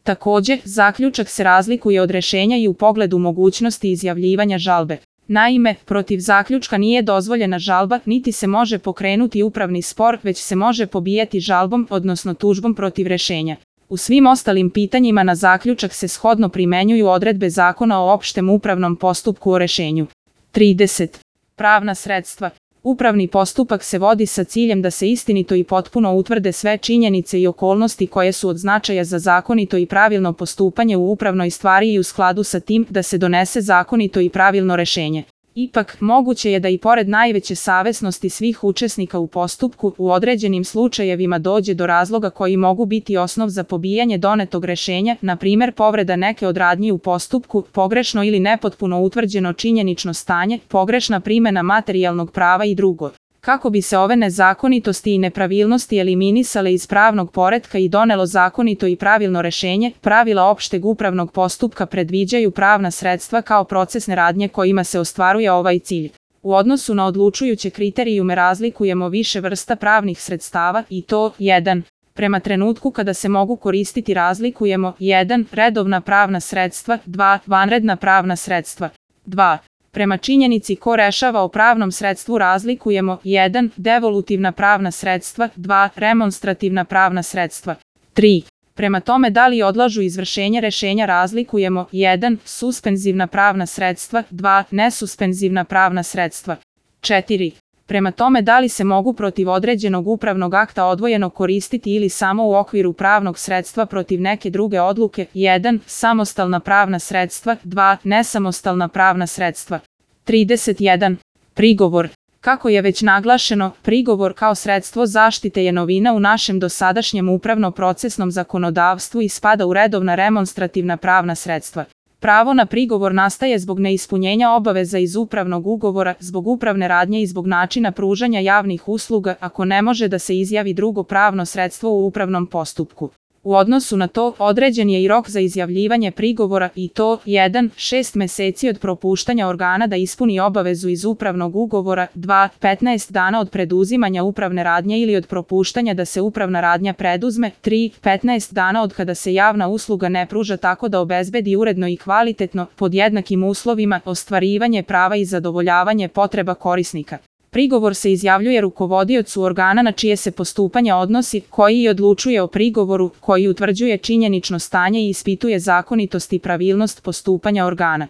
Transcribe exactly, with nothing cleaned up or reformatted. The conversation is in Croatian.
Također, zaključak se razlikuje od rješenja i u pogledu mogućnosti izjavljivanja žalbe. Naime, protiv zaključka nije dozvoljena žalba, niti se može pokrenuti upravni spor, već se može pobijati žalbom, odnosno tužbom protiv rješenja. U svim ostalim pitanjima na zaključak se shodno primjenjuju odredbe Zakona o opštem upravnom postupku o rješenju. trideset. Pravna sredstva. Upravni postupak se vodi sa ciljem da se istinito i potpuno utvrde sve činjenice i okolnosti koje su od značaja za zakonito i pravilno postupanje u upravnoj stvari i u skladu sa tim da se donese zakonito i pravilno rješenje. Ipak, moguće je da i pored najveće savesnosti svih učesnika u postupku, u određenim slučajevima dođe do razloga koji mogu biti osnov za pobijanje donetog rješenja, na primjer povreda neke od radnji u postupku, pogrešno ili nepotpuno utvrđeno činjenično stanje, pogrešna primjena materijalnog prava i drugo. Kako bi se ove nezakonitosti i nepravilnosti eliminisale iz pravnog poretka i donelo zakonito i pravilno rješenje, pravila opšteg upravnog postupka predviđaju pravna sredstva kao procesne radnje kojima se ostvaruje ovaj cilj. U odnosu na odlučujuće kriterijume razlikujemo više vrsta pravnih sredstava i to jedan. Prema trenutku kada se mogu koristiti razlikujemo jedan. Redovna pravna sredstva, dva. Vanredna pravna sredstva, dva. Prema činjenici ko rešava o pravnom sredstvu razlikujemo jedan. Devolutivna pravna sredstva, dva. Remonstrativna pravna sredstva, tri. Prema tome da li odlažu izvršenje rješenja razlikujemo jedan. Suspenzivna pravna sredstva, dva. Nesuspenzivna pravna sredstva, četiri. Prema tome da li se mogu protiv određenog upravnog akta odvojeno koristiti ili samo u okviru pravnog sredstva protiv neke druge odluke, jedan. Samostalna pravna sredstva, dva. Nesamostalna pravna sredstva. trideset jedan. Prigovor. Kako je već naglašeno, prigovor kao sredstvo zaštite je novina u našem dosadašnjem upravno-procesnom zakonodavstvu i spada u redovna remonstrativna pravna sredstva. Pravo na prigovor nastaje zbog neispunjenja obaveza iz upravnog ugovora, zbog upravne radnje i zbog načina pružanja javnih usluga, ako ne može da se izjavi drugo pravno sredstvo u upravnom postupku. U odnosu na to, određen je i rok za izjavljivanje prigovora i to jedan. šest meseci od propuštanja organa da ispuni obavezu iz upravnog ugovora, dva. petnaest dana od preduzimanja upravne radnje ili od propuštanja da se upravna radnja preduzme, tri. petnaest dana od kada se javna usluga ne pruža tako da obezbedi uredno i kvalitetno, pod jednakim uslovima, ostvarivanje prava i zadovoljavanje potreba korisnika. Prigovor se izjavljuje rukovodiocu organa na čije se postupanje odnosi, koji i odlučuje o prigovoru, koji utvrđuje činjenično stanje i ispituje zakonitost i pravilnost postupanja organa.